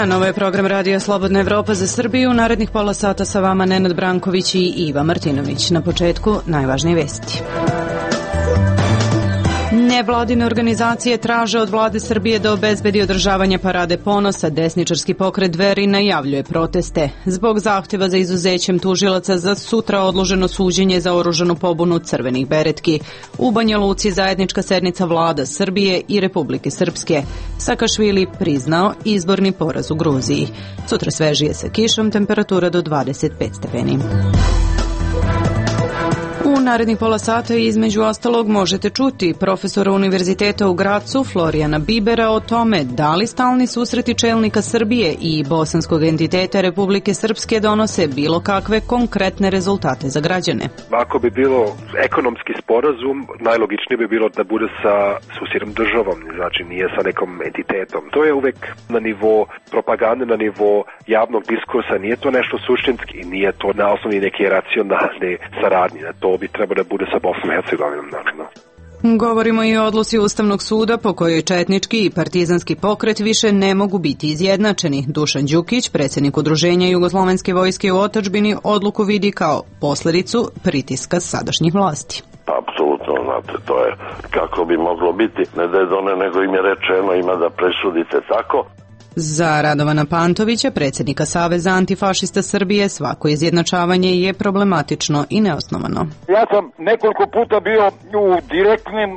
dan, ovo je program Radija Slobodna Evropa za Srbiju. U narednih pola sata sa vama Nenad Branković i Iva Martinović. Na početku najvažnije vesti. Nevladine organizacije traže od vlade Srbije da obezbedi održavanje parade ponosa. Desničarski pokret Dveri najavljuje proteste. Zbog zahtjeva za izuzećem tužilaca za sutra odloženo suđenje za oružanu pobunu crvenih beretki. U Banja Luci zajednička sednica vlada Srbije i Republike Srpske. Sakašvili priznao izborni poraz u Gruziji. Sutra svežije sa kišom, temperatura do 25 stepeni. U narednih pola sata između ostalog možete čuti profesora Univerziteta u Gracu Florijana Bibera o tome da li stalni susreti čelnika Srbije i bosanskog entiteta Republike Srpske donose bilo kakve konkretne rezultate za građane. Ako bi bilo ekonomski sporazum, najlogičnije bi bilo da bude sa susjednom državom, znači nije sa nekom entitetom. To je uvek na nivo propagande, na nivo javnog diskursa, nije to nešto suštinski i nije to na osnovi neke racionalne saradnje. To bi treba da bude sa Bosnom i Hercegovinom, naravno. Govorimo i o odluci Ustavnog suda po kojoj četnički i partizanski pokret više ne mogu biti izjednačeni. Dušan Đukić, predsjednik Udruženja Jugoslovenske vojske u otadžbini, odluku vidi kao posljedicu pritiska sadašnjih vlasti. Apsolutno, znate, to je kako bi moglo biti. Ne da je done, nego im je rečeno ima da presudite tako. Za Radovana Pantovića, predsjednika Saveza antifašista Srbije, svako izjednačavanje je problematično i neosnovano. Ja sam nekoliko puta bio u direktnim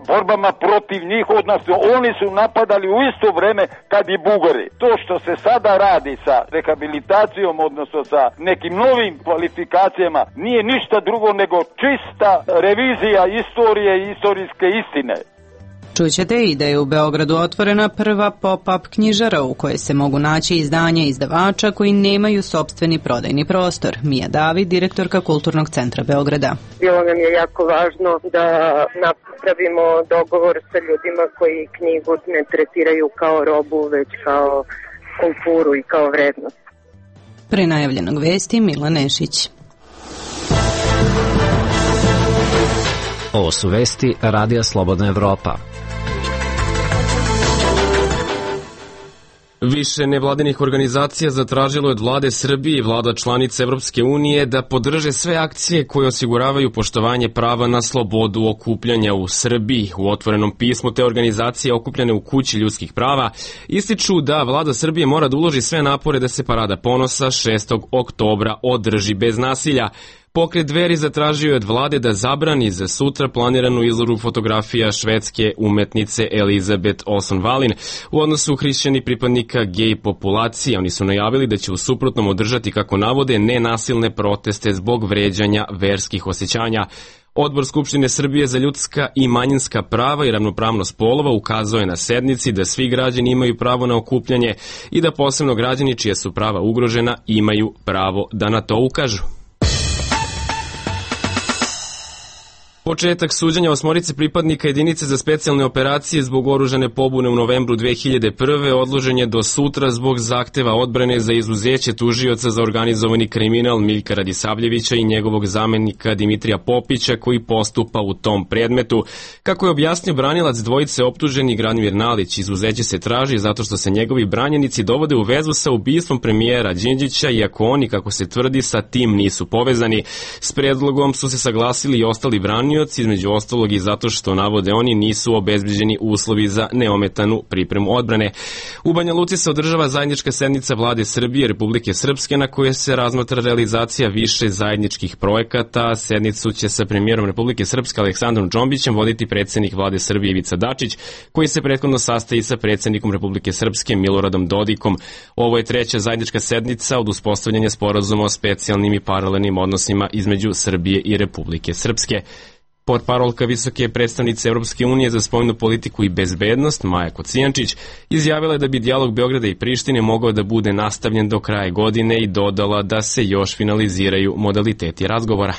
borbama protiv njih, odnosno oni su napadali u isto vreme kad i Bugari. To što se sada radi sa rehabilitacijom, odnosno sa nekim novim kvalifikacijama, nije ništa drugo nego čista revizija istorije i istorijske istine. Čućete i da je u Beogradu otvorena prva pop-up knjižara u kojoj se mogu naći izdanja izdavača koji nemaju sopstveni prodajni prostor. Mija David, direktorka Kulturnog centra Beograda. Bilo nam je jako važno da napravimo dogovor sa ljudima koji knjigu ne tretiraju kao robu, već kao kulturu i kao vrednost. Pre najavljenog vesti Mila Nešić. Ovo su vesti Radija Slobodna Evropa. Više nevladinih organizacija zatražilo je od vlade Srbije i vlada članica Evropske unije da podrže sve akcije koje osiguravaju poštovanje prava na slobodu okupljanja u Srbiji. U otvorenom pismu te organizacije okupljene u Kući ljudskih prava ističu da vlada Srbije mora da uloži sve napore da se parada ponosa 6. oktobra održi bez nasilja. Pokret Dveri zatražio je od vlade da zabrani za sutra planiranu izložbu fotografija švedske umetnice Elizabeth Olsen-Wallin u odnosu hrišćani pripadnika gej populacije. Oni su najavili da će u suprotnom održati, kako navode, nenasilne proteste zbog vređanja verskih osjećanja. Odbor Skupštine Srbije za ljudska i manjinska prava i ravnopravnost polova ukazao je na sednici da svi građani imaju pravo na okupljanje i da posebno građani čija su prava ugrožena imaju pravo da na to ukažu. Početak suđenja 8 pripadnika jedinice za specijalne operacije zbog oružane pobune u novembru 2001. odložen je do sutra zbog zahteva odbrane za izuzeće tužioca za organizovani kriminal Miljka Radisavljevića i njegovog zamenika Dimitrija Popića koji postupa u tom predmetu. Kako je objasnio branilac dvojice optuženi Branimir Nalić, izuzeće se traži zato što se njegovi branjenici dovode u vezu sa ubistvom premijera Đinđića, iako oni, kako se tvrdi, sa tim nisu povezani. S predlogom su se saglasili i ostali branioci, između ostalog i zato što, navode oni, nisu obezbeđeni uslovi za neometanu pripremu odbrane. U Banja Luci se održava zajednička sednica vlade Srbije i Republike Srpske na kojoj se razmatra realizacija više zajedničkih projekata. Sednicu će sa premijerom Republike Srpske Aleksandrom Džombićem voditi predsjednik vlade Srbije Ivica Dačić, koji se prethodno sastaje sa predsjednikom Republike Srpske Miloradom Dodikom. Ovo je treća zajednička sednica od uspostavljanja sporazuma o specijalnim i paralelnim odnosima između Srbije i Republike Srpske. Portparolka visoke predstavnice Evropske unije za spoljnu politiku i bezbednost, Maja Kocijančić, izjavila je da bi dijalog Beograda i Prištine mogao da bude nastavljen do kraja godine i dodala da se još finaliziraju modaliteti razgovora.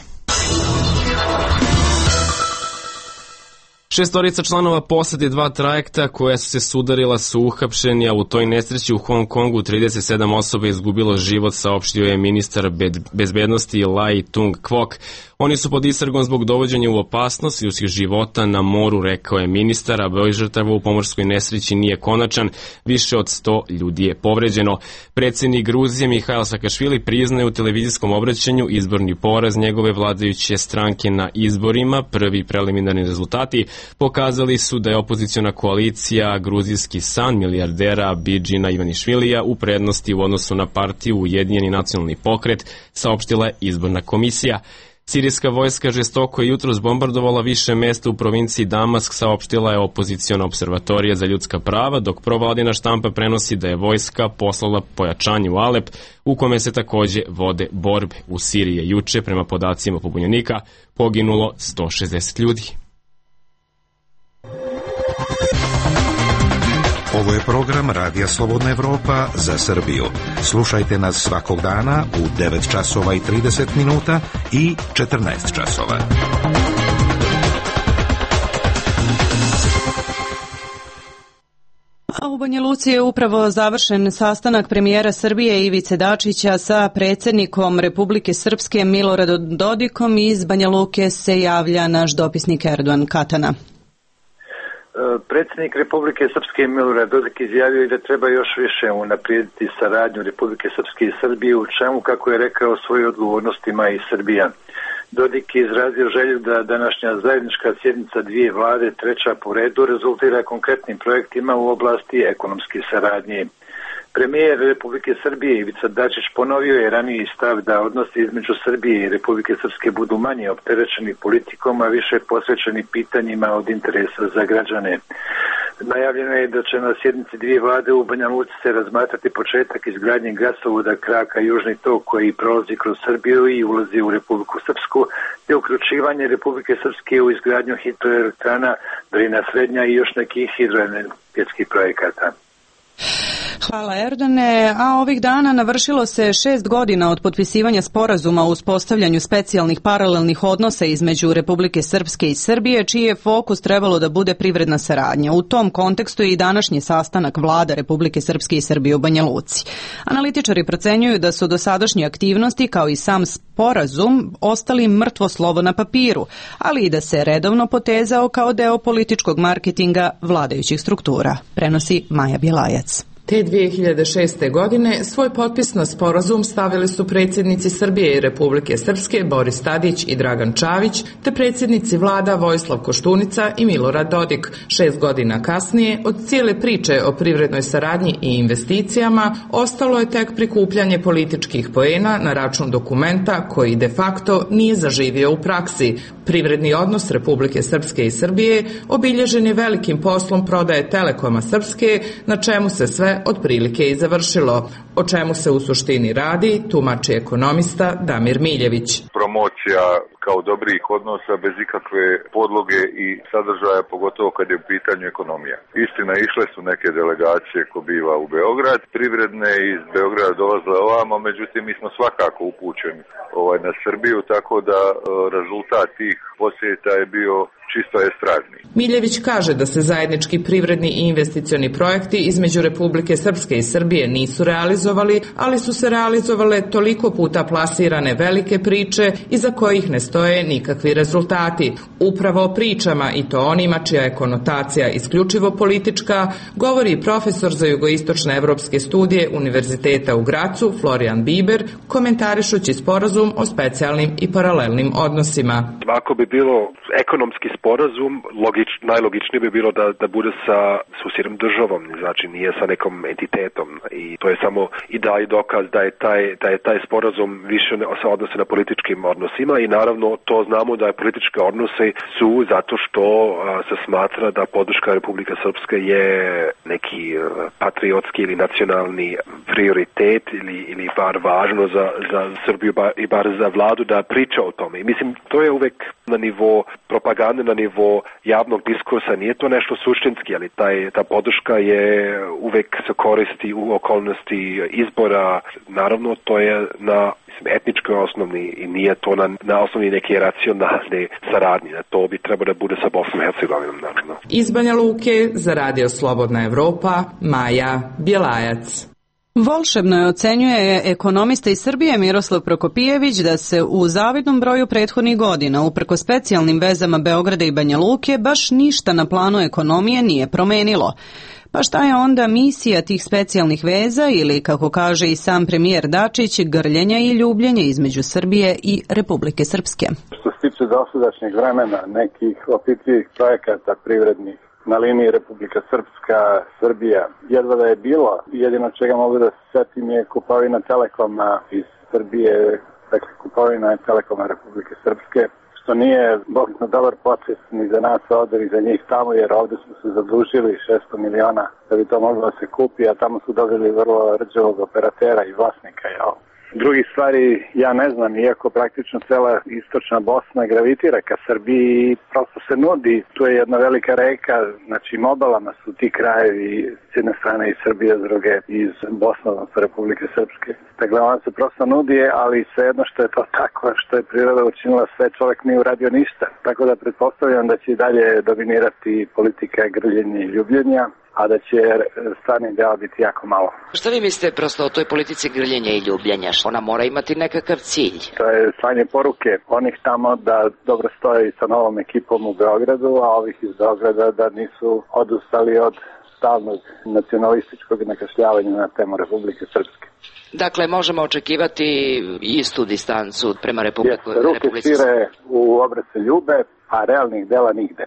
6 članova posade 2 trajekta koja su se sudarila su uhapšeni, a u toj nesreći u Hong Kongu 37 osoba je izgubilo život, saopštio je ministar bezbednosti Lai Tung-Kwok. Oni su pod istragom zbog dovođenja u opasnost ljudskih života na moru, rekao je ministar, a broj žrtava u pomorskoj nesreći nije konačan, više od 100 ljudi je povređeno. Predsjednik Gruzije Mihail Sakašvili priznaje u televizijskom obraćanju izborni poraz njegove vladajuće stranke na izborima. Prvi preliminarni rezultati pokazali su da je opoziciona koalicija Gruzijski san milijardera Bidžina Ivanišvilija u prednosti u odnosu na partiju Ujedinjeni nacionalni pokret, saopštila je izborna komisija. Sirijska vojska žestoko je jutros bombardovala više mesta u provinciji Damask, saopštila je opoziciona observatorija za ljudska prava, dok provladina štampa prenosi da je vojska poslala pojačanje u Alep, u kome se takođe vode borbe. U Siriji je juče, prema podacima pobunjenika, poginulo 160 ljudi. Ovo je program Radija Slobodna Evropa za Srbiju. Slušajte nas svakog dana u 9 časova i 30 minuta i 14 časova. A u Banja Luci je upravo završen sastanak premijera Srbije Ivice Dačića sa predsjednikom Republike Srpske Miloradom Dodikom. Iz Banja Luke se javlja naš dopisnik Erdogan Katana. Predsjednik Republike Srpske Milorad Dodik izjavio da treba još više unaprijediti saradnju Republike Srpske i Srbije, u čemu, kako je rekao, svoje odgovornosti ima i Srbija. Dodik je izrazio želju da današnja zajednička sjednica dvije vlade, treća po redu, rezultira konkretnim projektima u oblasti ekonomske saradnje. Premijer Republike Srbije Ivica Dačić ponovio je raniji stav da odnosi između Srbije i Republike Srpske budu manje opterećeni politikom, a više posvećeni pitanjima od interesa za građane. Najavljeno je da će na sjednici dvije vlade u Banja Luci se razmatrati početak izgradnje gasovoda kraka Južni tok koji prolazi kroz Srbiju i ulazi u Republiku Srpsku, te uključivanje Republike Srpske u izgradnju hidroelektrana Drina Srednja i još nekih hidroenergetskih projekata. Hvala Erdane, a ovih dana navršilo se 6 godina od potpisivanja sporazuma o uspostavljanju specijalnih paralelnih odnosa između Republike Srpske i Srbije, čiji je fokus trebalo da bude privredna saradnja. U tom kontekstu je i današnji sastanak vlada Republike Srpske i Srbije u Banja Luci. Analitičari procenjuju da su dosadašnje aktivnosti, kao i sam sporazum, ostali mrtvo slovo na papiru, ali i da se redovno potezao kao deo političkog marketinga vladajućih struktura, prenosi Maja Bjelajac. Te 2006. godine svoj potpis na sporazum stavili su predsjednici Srbije i Republike Srpske Boris Tadić i Dragan Čavić, te predsjednici vlada Vojislav Koštunica i Milorad Dodik. 6 godina kasnije, od cijele priče o privrednoj saradnji i investicijama, ostalo je tek prikupljanje političkih poena na račun dokumenta koji de facto nije zaživio u praksi. Privredni odnos Republike Srpske i Srbije obilježen je velikim poslom prodaje Telekoma Srpske, na čemu se sve otprilike i završilo. O čemu se u suštini radi, tumači ekonomista Damir Miljević. Promocija kao dobrih odnosa bez ikakve podloge i sadržaja, pogotovo kad je u pitanju ekonomija. Istina, išle su neke delegacije ko biva u Beograd, privredne iz Beograda dolazile ovamo, međutim mi smo svakako upućeni na Srbiju, tako da rezultat tih posjeta je bio čisto estradni. Miljević kaže da se zajednički privredni i investicioni projekti između Republike Srpske i Srbije nisu realizovali, ali su se realizovale toliko puta plasirane velike priče iza kojih ne stoje nikakvi rezultati. Upravo o pričama, i to onima čija je konotacija isključivo politička, govori profesor za jugoistočne evropske studije Univerziteta u Gracu Florian Biber, komentarišući sporazum o specijalnim i paralelnim odnosima. Ako bi bilo ekonomski sporazum, najlogičnije bi bilo da bude sa susjednom državom, znači nije sa nekom entitetom, i to je samo i dalje dokaz da je taj sporazum više se odnosi na političkim odnosima, i naravno to znamo da je političke odnose su zato što se smatra da podrška Republike Srpske je neki patriotski ili nacionalni prioritet ili bar važno za Srbiju i bar za vladu da priča o tome. I mislim, to je uvek na nivo propagande, na nivo javnog diskursa, nije to nešto suštinski, ali ta podrška je uvek se koristi u okolnosti izbora. Naravno, to je na Etnički osnovni i nije to na osnovi neke racionalne saradnje. To bi trebalo da bude sa Bosnom i Hercegovinom, naravno. Iz Banja Luke za Radio Slobodna Evropa, Maja Bjelajac. Volšebno je ocenjuje ekonomista iz Srbije Miroslav Prokopijević da se u zavidnom broju prethodnih godina, uprko specijalnim vezama Beograda i Banja Luke, baš ništa na planu ekonomije nije promenilo. Pa šta je onda misija tih specijalnih veza ili, kako kaže i sam premijer Dačić, grljenja i ljubljenja između Srbije i Republike Srpske? Što se tiče dosadašnjeg vremena, nekih opipljivih projekata privrednih na liniji Republika Srpska, Srbija, jedva da je bilo. Jedino čega mogu da se setim je kupovina Telekoma iz Srbije, dakle kupovina Telekoma Republike Srpske, što nije bogno dobar proces ni za nas ovdje ni za njih tamo, jer ovdje smo se zadužili 600 miliona da bi to moglo da se kupi, a tamo su dobili vrlo rđavog operatera i vlasnika. Drugih stvari ja ne znam, iako praktično cela istočna Bosna gravitira ka Srbiji, prosto se nudi. Tu je jedna velika reka, znači obalama su ti krajevi s jedne strane iz Srbije, s druge iz Bosne, odnosno Republike Srpske. Dakle, ona se prosto nudi, ali svejedno što je to tako, što je priroda učinila sve, čovjek nije uradio ništa. Tako da pretpostavljam da će i dalje dominirati politika grljenja i ljubljenja, a da će stvarni deo biti jako malo. Šta vi mislite prosto o toj politici grljenja i ljubljenja? Ona mora imati nekakav cilj. To je slanje poruke onih tamo da dobro stoji sa novom ekipom u Beogradu, a ovih iz Beograda da nisu odustali od stalnog nacionalističkog nakašljavanja na temu Republike Srpske. Dakle, možemo očekivati istu distancu prema Republike Srpske. Ruke šire u obrace ljube, a realnih dela nigde.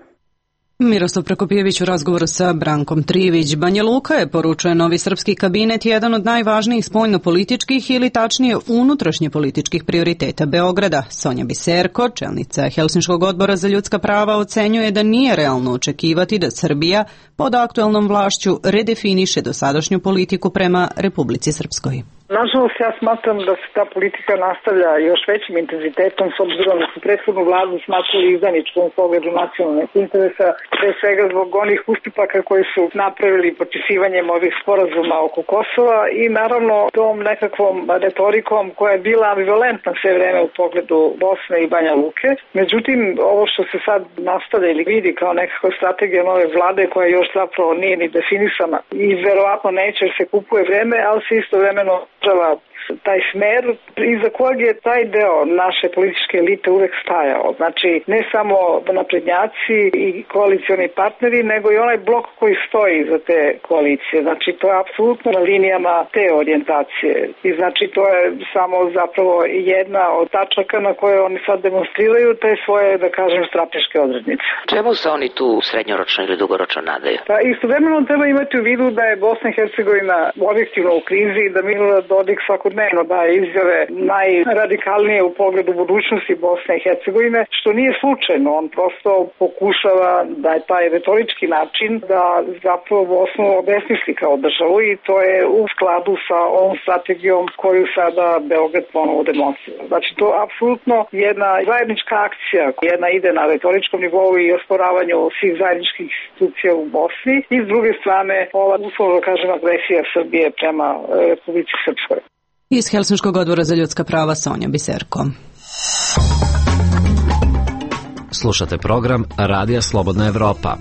Miroslav Prokopijević u razgovoru sa Brankom Trivić. Banja Luka je, poručuje novi srpski kabinet, jedan od najvažnijih spoljnopolitičkih ili tačnije unutrašnje političkih prioriteta Beograda. Sonja Biserko, čelnica Helsinškog odbora za ljudska prava, ocenjuje da nije realno očekivati da Srbija pod aktuelnom vlašću redefiniše dosadašnju politiku prema Republici Srpskoj. Nažalost, ja smatram da se ta politika nastavlja još većim intenzitetom s obzirom da su prethodnu vladu smatrali izdajničkom u pogledu nacionalnih interesa, pre svega zbog onih ustupaka koji su napravili potpisivanjem ovih sporazuma oko Kosova i naravno tom nekakvom retorikom koja je bila ambivalentna sve vreme u pogledu Bosne i Banja Luke. Međutim, ovo što se sad nastavlja ili vidi kao nekakva strategija nove vlade koja još zapravo nije ni definisana i verovatno neće jer se kupuje vreme, ali se istovremeno taj smer iza kojeg je taj deo naše političke elite uvek stajao. Znači, ne samo naprednjaci i koalicioni partneri, nego i onaj blok koji stoji za te koalicije. Znači, to je apsolutno na linijama te orijentacije. I znači, to je samo zapravo jedna od tačaka na koje oni sad demonstriraju te svoje, da kažem, strateške odrednice. Čemu se oni tu srednjoročno ili dugoročno nadaju? Pa istovremeno treba imati u vidu da je Bosna i Hercegovina objektivno u krizi i da Milorad Dodik svakodnevno daje izjave najradikalnije u pogledu budućnosti Bosne i Hercegovine, što nije slučajno. On prosto pokušava da je taj retorički način da zapravo Bosnu obesmisli kao državu i to je u skladu sa ovom strategijom koju sada Beograd ponovo demonstrira. Znači to je apsolutno jedna zajednička akcija, jedna ide na retoričkom nivou i osporavanju svih zajedničkih institucija u Bosni i s druge strane ova uslovno kažem agresija Srbije prema Republici Srpskoj. Iz Helsinškog odbora za ljudska prava Sonja Biserko. Slušate program Radija Slobodna Evropa.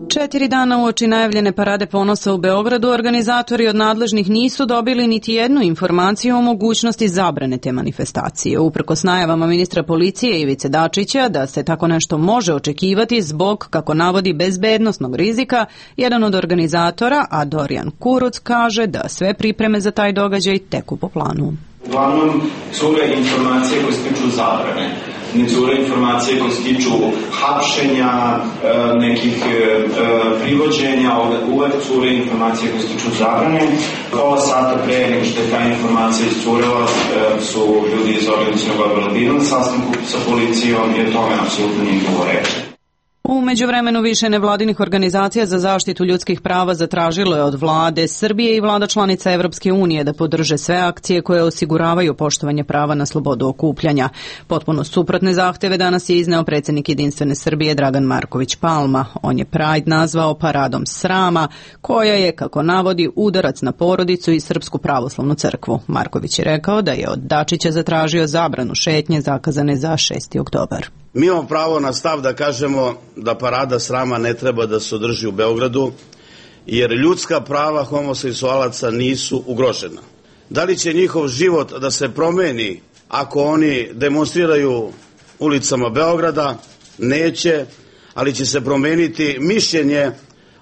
4 dana uoči najavljene parade ponosa u Beogradu, organizatori od nadležnih nisu dobili niti jednu informaciju o mogućnosti zabrane te manifestacije. Uprkos najavama ministra policije Ivice Dačića da se tako nešto može očekivati zbog, kako navodi, bezbednosnog rizika, jedan od organizatora, a Dorijan Kuruc, kaže da sve pripreme za taj događaj teku po planu. Uglavnom, cure informacije koje se tiču zabrane. Ne cure informacije koje se tiču hapšenja, nekih privođenja, uvek cure informacije koje se tiču zabrane. Pola sata pre nego što je ta informacija iscurela su ljudi iz organizacionog odbora bili na sastanku sa policijom i o tome apsolutno nije bilo reči. U međuvremenu više nevladinih organizacija za zaštitu ljudskih prava zatražilo je od vlade Srbije i vlada članica Evropske unije da podrže sve akcije koje osiguravaju poštovanje prava na slobodu okupljanja. Potpuno suprotne zahteve danas je izneo predsjednik Jedinstvene Srbije Dragan Marković Palma. On je Pride nazvao paradom srama, koja je, kako navodi, udarac na porodicu i Srpsku pravoslavnu crkvu. Marković je rekao da je od Dačića zatražio zabranu šetnje zakazane za 6. oktobar. Mi imamo pravo na stav da kažemo da parada srama ne treba da se održi u Beogradu, jer ljudska prava homoseksualaca nisu ugrožena. Da li će njihov život da se promeni ako oni demonstriraju ulicama Beograda? Neće, ali će se promeniti mišljenje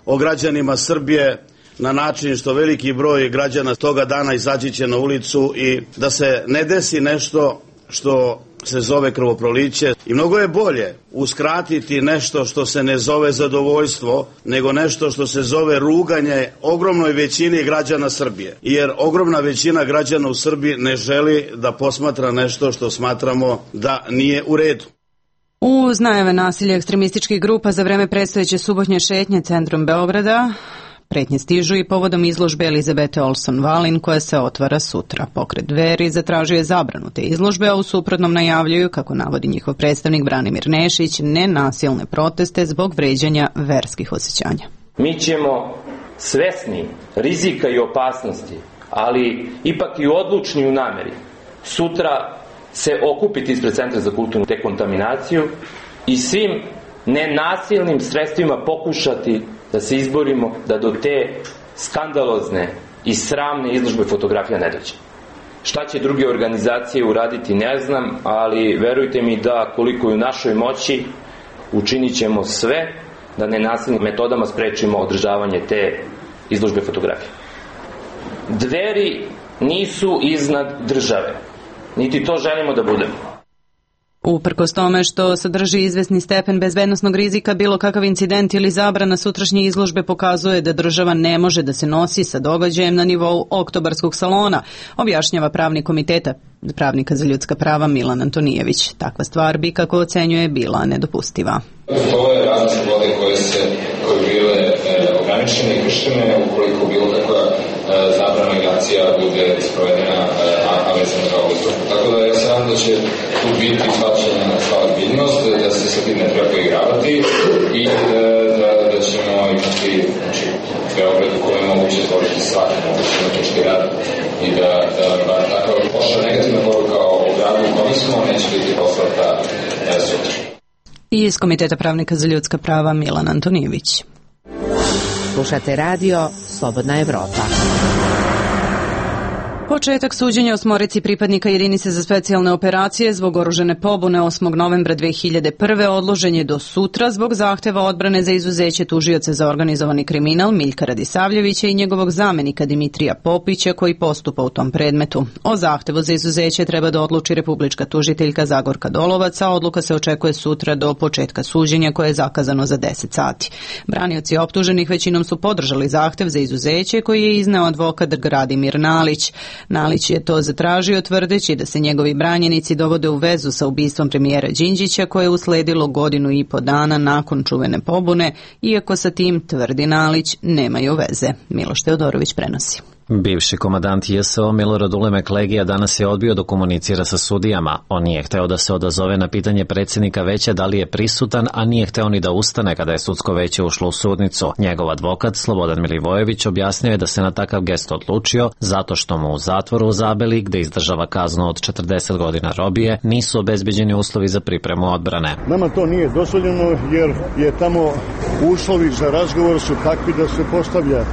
o građanima Srbije na način što veliki broj građana toga dana izaći će na ulicu i da se ne desi nešto što se zove krvoproliće. I mnogo je bolje uskratiti nešto što se ne zove zadovoljstvo, nego nešto što se zove ruganje ogromnoj većini građana Srbije. Jer ogromna većina građana u Srbiji ne želi da posmatra nešto što smatramo da nije u redu. Uz najave nasilja ekstremističkih grupa za vreme predstojeće subotnje šetnje centrom Beograda, pretnje stižu i povodom izložbe Elizabete Olson-Valin koja se otvara sutra. Pokret Dveri zatražio je zabranu te izložbe, a u suprotnom najavljuju, kako navodi njihov predstavnik Branimir Nešić, nenasilne proteste zbog vređanja verskih osjećanja. Mi ćemo svesni rizika i opasnosti, ali ipak i odlučni u nameri, sutra se okupiti ispred Centra za kulturnu dekontaminaciju i svim nenasilnim sredstvima pokušati da se izborimo da do te skandalozne i sramne izložbe fotografija ne dođe. Šta će druge organizacije uraditi ne znam, ali verujte mi da koliko je u našoj moći učinit ćemo sve da nenasilnim metodama sprečimo održavanje te izložbe fotografije. Dveri nisu iznad države, niti to želimo da budemo. Uprkos tome što sadrži izvesni stepen bezbednosnog rizika, bilo kakav incident ili zabrana sutrašnje izložbe pokazuje da država ne može da se nosi sa događajem na nivou oktobarskog salona, objašnjava pravnik komiteta pravnika za ljudska prava Milan Antonijević. Takva stvar bi, kako ocenjuje, bila nedopustiva. Ovo je razne slobode koje bile ograničene i kršene ukoliko bilo kakva zabrana i akcija bude sprovedena, a vezano za ovu izložbu. Tako da ja se nadam da će tu biti shvaćena sva ozbiljnost, da se sa tim ne treba poigravati i da ćemo imati Beograd u kojem je moguće stvoriti svaki mogući umetnički rad i da takva loša negativna poruka o gradu u kome smo neće biti poslata sutra. I iz Komiteta pravnika za ljudska prava Milan Antonijević. Slušate radio Slobodna Evropa. Početak suđenja osmorici pripadnika jedinice za specijalne operacije zbog oružane pobune 8. novembra 2001. odložen je do sutra zbog zahteva odbrane za izuzeće tužioca za organizovani kriminal Miljka Radisavljevića i njegovog zamenika Dimitrija Popića koji postupa u tom predmetu. O zahtevu za izuzeće treba da odluči republička tužiteljka Zagorka Dolovac, a odluka se očekuje sutra do početka suđenja koje je zakazano za 10 sati. Branioci optuženih većinom su podržali zahtev za izuzeće koji je izneo advokat Gradimir Nalić. Nalić je to zatražio tvrdeći da se njegovi branjenici dovode u vezu sa ubistvom premijera Đinđića koje je usledilo 1.5 godina nakon čuvene pobune, iako sa tim, tvrdi Nalić, nemaju veze. Miloš Teodorović prenosi. Bivši komandant JSO Milorad Ulemek Legija danas je odbio da komunicira sa sudijama. On nije hteo da se odazove na pitanje predsjednika veća da li je prisutan, a nije hteo ni da ustane kada je sudsko veće ušlo u sudnicu. Njegov advokat Slobodan Milivojević objasnio je da se na takav gest odlučio zato što mu u zatvoru u Zabeli, gde izdržava kaznu od 40 godina robije, nisu obezbeđeni uslovi za pripremu odbrane. Nama to nije dozvoljeno jer je tamo uslovi za razgovor su takvi da se postavlja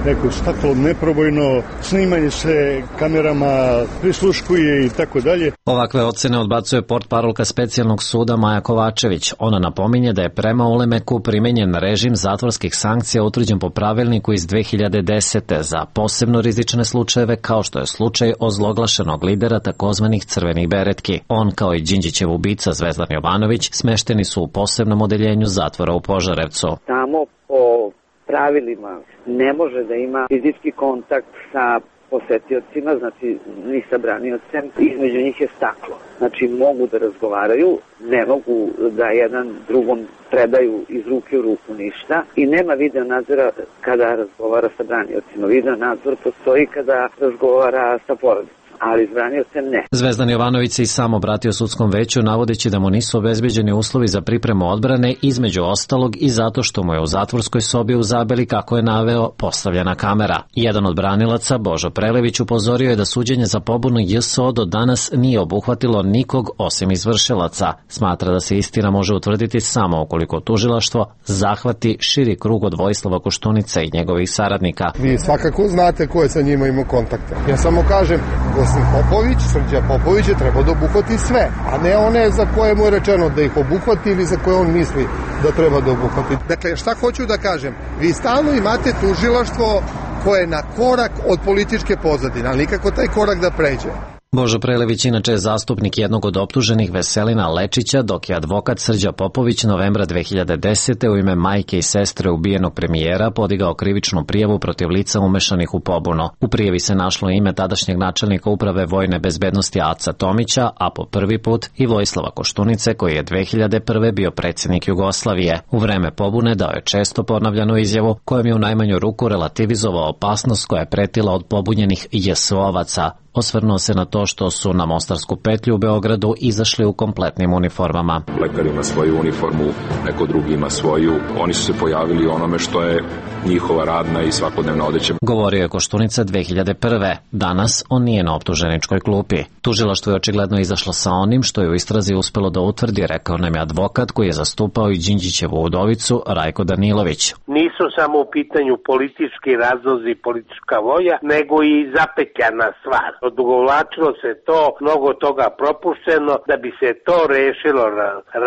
neko staklo neprobojno, snimanje se kamerama, prisluškuje i tako dalje. Ovakve ocene odbacuje portparolka specijalnog suda Maja Kovačević. Ona napominje da je prema Ulemeku primenjen režim zatvorskih sankcija utvrđen po pravilniku iz 2010. za posebno rizične slučajeve kao što je slučaj ozloglašenog lidera takozvanih crvenih beretki. On kao i Đinđićev ubica Zvezdan Jovanović smešteni su u posebnom odeljenju zatvora u Požarevcu. Samo po pravilima ne može da ima fizički kontakt sa posetiocima, znači ni sa braniocem, između njih je staklo. Znači mogu da razgovaraju, ne mogu da jedan drugom predaju iz ruke u ruku ništa i nema video nadzora kada razgovara sa braniocima. Video nadzor postoji kada razgovara sa porodicom, ali s braniocem ne. Zvezdan Jovanović se i sam obratio sudskom veću navodeći da mu nisu obezbeđeni uslovi za pripremu odbrane, između ostalog i zato što mu je u zatvorskoj sobi u Zabeli, kako je naveo, postavljena kamera. Jedan od branilaca, Božo Prelević, upozorio je da suđenje za pobunu JSO do danas nije obuhvatilo nikog osim izvršilaca. Smatra da se istina može utvrditi samo ukoliko tužilaštvo zahvati širi krug od Vojislava Koštunice i njegovih saradnika. Vi svakako znate ko je sa njima imao kontakta. Ja samo kažem, Popović, Srđa Popović je trebao da obuhvati sve, a ne one za koje mu je rečeno da ih obuhvati ili za koje on misli da treba da obuhvati. Dakle, šta hoću da kažem? Vi stalno imate tužilaštvo koje je na korak od političke pozadine, ali nikako taj korak da pređe. Božo Prelević inače je zastupnik jednog od optuženih Veselina Lečića, dok je advokat Srđa Popović novembra 2010. u ime majke i sestre ubijenog premijera podigao krivičnu prijavu protiv lica umešanih u pobunu. U prijavi se našlo ime tadašnjeg načelnika uprave vojne bezbednosti Aca Tomića, a po prvi put i Vojislava Koštunice, koji je 2001. bio predsjednik Jugoslavije. U vreme pobune dao je često ponavljanu izjavu kojom je u najmanju ruku relativizovao opasnost koja je pretila od pobunjenih JSO-ovaca. Osvrnuo se na to što su na Mostarsku petlju u Beogradu izašli u kompletnim uniformama. Lekar ima svoju uniformu, neko drugi ima svoju. Oni su se pojavili onome što je njihova radna i svakodnevna odeća. Govorio je Koštunica 2001. Danas on nije na optuženičkoj klupi. Tužilaštvo je očigledno izašlo sa onim što je u istrazi uspelo da utvrdi, rekao nam je advokat koji je zastupao i Đinđićevu udovicu Rajko Danilović. Nisu samo u pitanju politički razlozi, politička volja, nego i zapetljana stvar. Odugovlačilo se to, mnogo toga propušteno, da bi se to rešilo,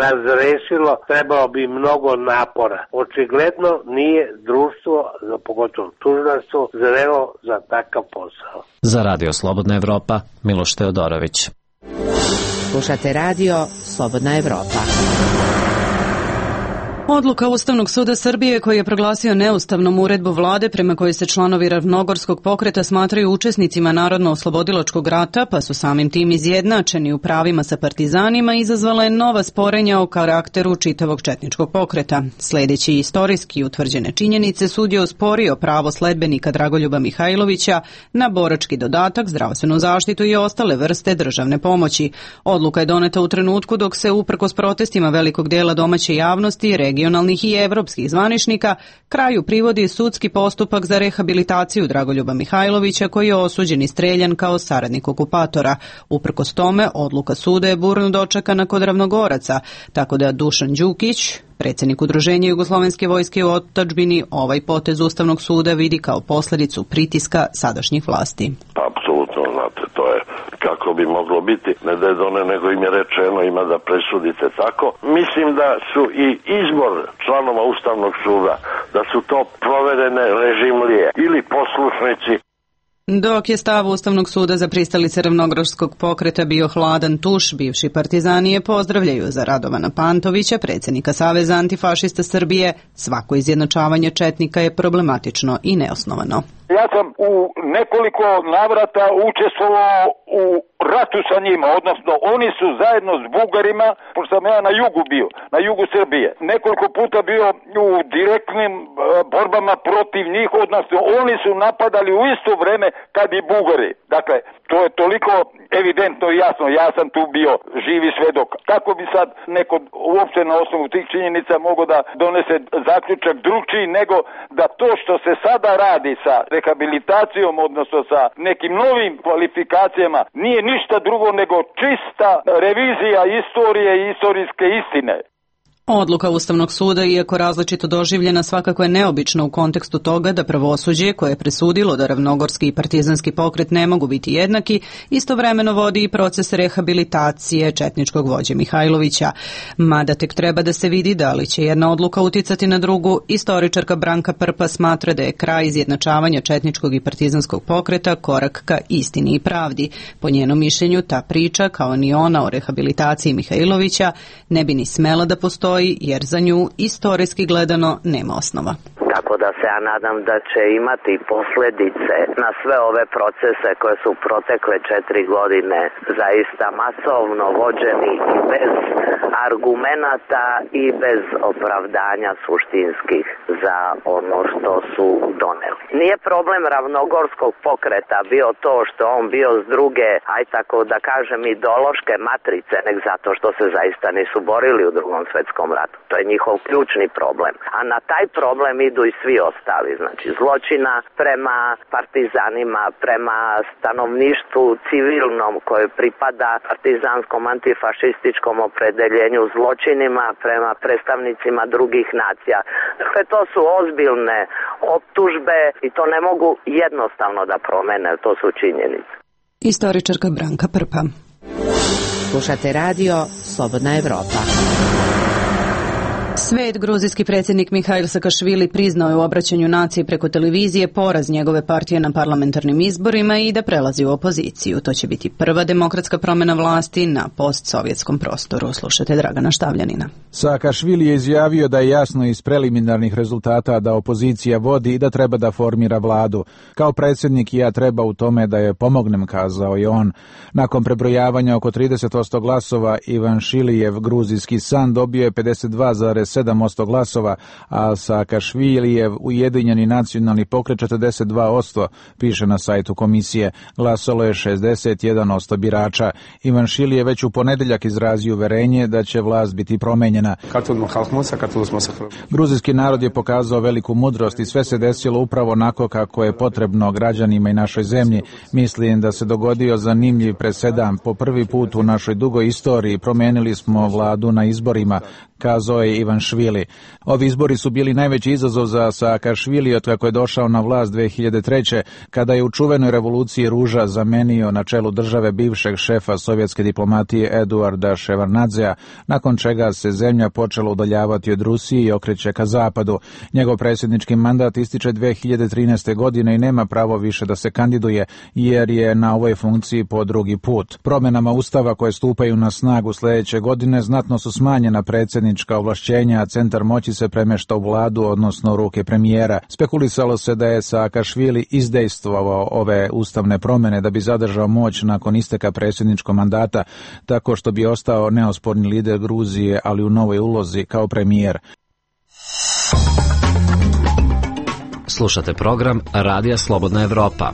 razrešilo, trebalo bi mnogo napora. Očigledno nije društvo, pogotovo tužilaštvo, zrelo za takav posao. Za Radio Slobodna Evropa, Miloš Teodorović. Slušate Radio Slobodna Evropa. Odluka Ustavnog suda Srbije koji je proglasio neustavnom uredbu vlade prema kojoj se članovi Ravnogorskog pokreta smatraju učesnicima Narodno-oslobodilačkog rata, pa su samim tim izjednačeni u pravima sa partizanima, izazvala je nova sporenja o karakteru čitavog četničkog pokreta. Sledeći istorijski utvrđene činjenice, sud je osporio pravo sledbenika Dragoljuba Mihajlovića na borački dodatak, zdravstvenu zaštitu i ostale vrste državne pomoći. Odluka je doneta u trenutku dok se uprkos protestima velikog dela domaće javnosti, regionalnih i evropskih zvaničnika, kraju privodi sudski postupak za rehabilitaciju Dragoljuba Mihajlovića, koji je osuđen i streljan kao saradnik okupatora. Uprkos tome, odluka suda je burno dočekana kod Ravnogoraca, tako da Dušan Đukić, predsjednik Udruženja Jugoslovenske vojske u otadžbini, ovaj potez Ustavnog suda vidi kao posljedicu pritiska sadašnjih vlasti. Apsolutno, znate, to je kako bi moglo biti, ne da je done, nego im je rečeno ima da presudite tako. Mislim da su i izbor članova Ustavnog suda, da su to proverene režimlije ili poslušnici. Dok je stav Ustavnog suda za pristalice Ravnogorskog pokreta bio hladan tuš, bivši partizani je pozdravljaju za Radovana Pantovića, predsjednika Saveza antifašista Srbije. Svako izjednačavanje četnika je problematično i neosnovano. Ja sam u nekoliko navrata učestvovao u ratu sa njima, odnosno oni su zajedno s Bugarima, pošto sam ja na jugu bio, na jugu Srbije, nekoliko puta bio u direktnim borbama protiv njih, odnosno oni su napadali u isto vreme kad i Bugari. Dakle, to je toliko evidentno i jasno, ja sam tu bio živi svedok. Kako bi sad neko uopšte na osnovu tih činjenica mogao da donese zaključak drugčiji nego da to što se sada radi sa rehabilitacijom, odnosno sa nekim novim kvalifikacijama, nije ništa drugo nego čista revizija istorije i istorijske istine. Odluka Ustavnog suda, iako različito doživljena, svakako je neobična u kontekstu toga da pravosuđe koje je presudilo da ravnogorski i partizanski pokret ne mogu biti jednaki, istovremeno vodi i proces rehabilitacije četničkog vođe Mihajlovića. Mada tek treba da se vidi da li će jedna odluka uticati na drugu, istoričarka Branka Prpa smatra da je kraj izjednačavanja četničkog i partizanskog pokreta korak ka istini i pravdi. Po njenom mišljenju, ta priča, kao ni ona o rehabilitaciji Mihajlovića, ne bi ni smela da postoji, jer za nju istorijski gledano nema osnova. Kako tako da se ja nadam da će imati posljedice na sve ove procese koje su protekle 4 godine zaista masovno vođeni i bez argumenata i bez opravdanja suštinskih za ono što su doneli. Nije problem ravnogorskog pokreta bio to što on bio s druge, aj tako da kažem, ideološke matrice, nek zato što se zaista nisu borili u Drugom svjetskom ratu. To je njihov ključni problem. A na taj problem idu i svi ostali. Znači zločina prema partizanima, prema stanovništvu civilnom koje pripada partizanskom antifašističkom opredeljenju, zločinima prema predstavnicima drugih nacija. Dakle, to su ozbiljne optužbe i to ne mogu jednostavno da promene, to su činjenice. Istoričarka Branka Prpa. Slušate radio Slobodna Evropa. Svet, gruzijski predsjednik Mihail Sakašvili priznao je u obraćanju naciji preko televizije poraz njegove partije na parlamentarnim izborima i da prelazi u opoziciju. To će biti prva demokratska promjena vlasti na postsovjetskom prostoru. Slušajte Dragana Štavljanina. Sakašvili je izjavio da je jasno iz preliminarnih rezultata da opozicija vodi i da treba da formira vladu. Kao predsjednik ja treba u tome da je pomognem, kazao je on. Nakon prebrojavanja oko 30% glasova, Ivan Šilijev, gruzijski san, dobio je 52,7% glasova, a Sakašvilijev Ujedinjeni nacionalni pokret 42%, piše na sajtu komisije. Glasalo je 61% birača. Ivan Šili je već u ponedeljak izrazio uverenje da će vlast biti promenjena. Gruzijski narod je pokazao veliku mudrost i sve se desilo upravo onako kako je potrebno građanima i našoj zemlji. Mislim da se dogodio zanimljiv presedan. Po prvi put u našoj dugoj istoriji promenili smo vladu na izborima, kazao je Ivan Švili. Ovi izbori su bili najveći izazov za Sakašvili od kako je došao na vlast 2003. kada je u čuvenoj revoluciji ruža zamenio na čelu države bivšeg šefa sovjetske diplomatije Eduarda Ševarnadzea, nakon čega se zemlja počela udaljavati od Rusije i okreće ka zapadu. Njegov predsjednički mandat ističe 2013. godine i nema pravo više da se kandiduje jer je na ovoj funkciji po drugi put. Promjenama ustava koje stupaju na snagu sljedeće godine znatno su smanjena predsjednička ovlašćenja, a centar moći se premješta u vladu, odnosno ruke premijera. Spekulisalo se da je Sakašvili izdejstvovao ove ustavne promjene da bi zadržao moć nakon isteka predsjedničkog mandata, tako što bi ostao neosporni lider Gruzije, ali u novoj ulozi kao premijer. Slušate program Radija Slobodna Evropa.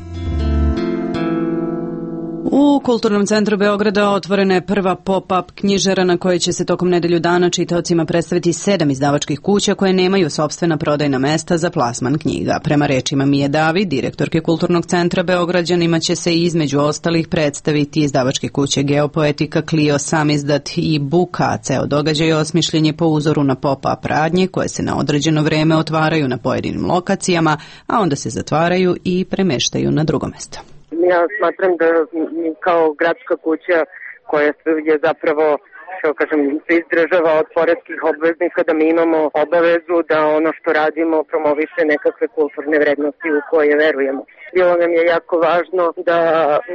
U Kulturnom centru Beograda otvorena je prva pop-up knjižara na kojoj će se tokom nedelju dana čitaocima predstaviti 7 izdavačkih kuća koje nemaju sopstvena prodajna mesta za plasman knjiga. Prema rečima Mije David, direktorke Kulturnog centra Beograđanima, će se između ostalih predstaviti izdavačke kuće Geopoetika, Clio, Samizdat i Buka. Ceo događaj osmišljen je po uzoru na pop-up radnje koje se na određeno vreme otvaraju na pojedinim lokacijama, a onda se zatvaraju i premeštaju na drugo mesto. Ja smatram da kao gradska kuća koja je zapravo, što kažem, se izdržava od poreskih obveznika, da mi imamo obavezu da ono što radimo promoviše nekakve kulturne vrednosti u koje verujemo. Bilo nam je jako važno da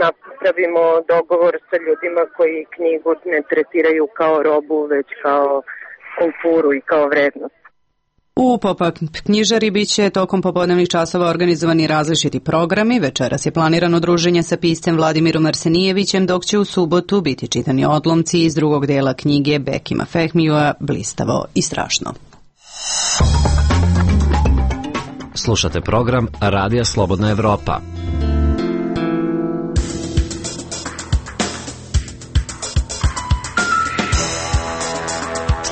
napravimo dogovor sa ljudima koji knjigu ne tretiraju kao robu, već kao kulturu i kao vrednost. U pop-up knjižari bit će tokom popodnevnih časova organizovani različiti programi. Večeras je planirano druženje sa piscem Vladimirom Arsenijevićem, dok će u subotu biti čitani odlomci iz drugog dela knjige Bekima Fehmijua Blistavo i strašno. Slušate program Radija Slobodna Evropa.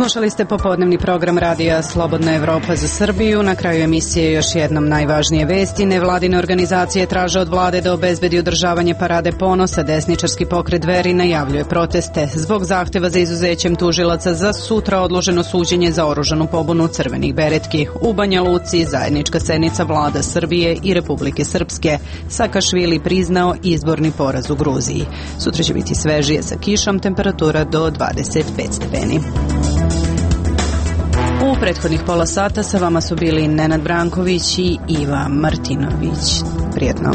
Slušali ste popodnevni program Radija Slobodna Evropa za Srbiju. Na kraju emisije još jednom najvažnije vesti. Nevladine organizacije traže od vlade da obezbedi održavanje parade ponosa. Desničarski pokret Dveri najavljuje proteste zbog zahteva za izuzećem tužilaca za sutra odloženo suđenje za oružanu pobunu crvenih beretki. U Banja Luci zajednička sednica vlada Srbije i Republike Srpske. Sakašvili priznao izborni poraz u Gruziji. Sutra će biti svežije sa kišom, temperatura do 25 stepeni. U prethodnih pola sata sa vama su bili Nenad Branković i Iva Martinović. Prijetno.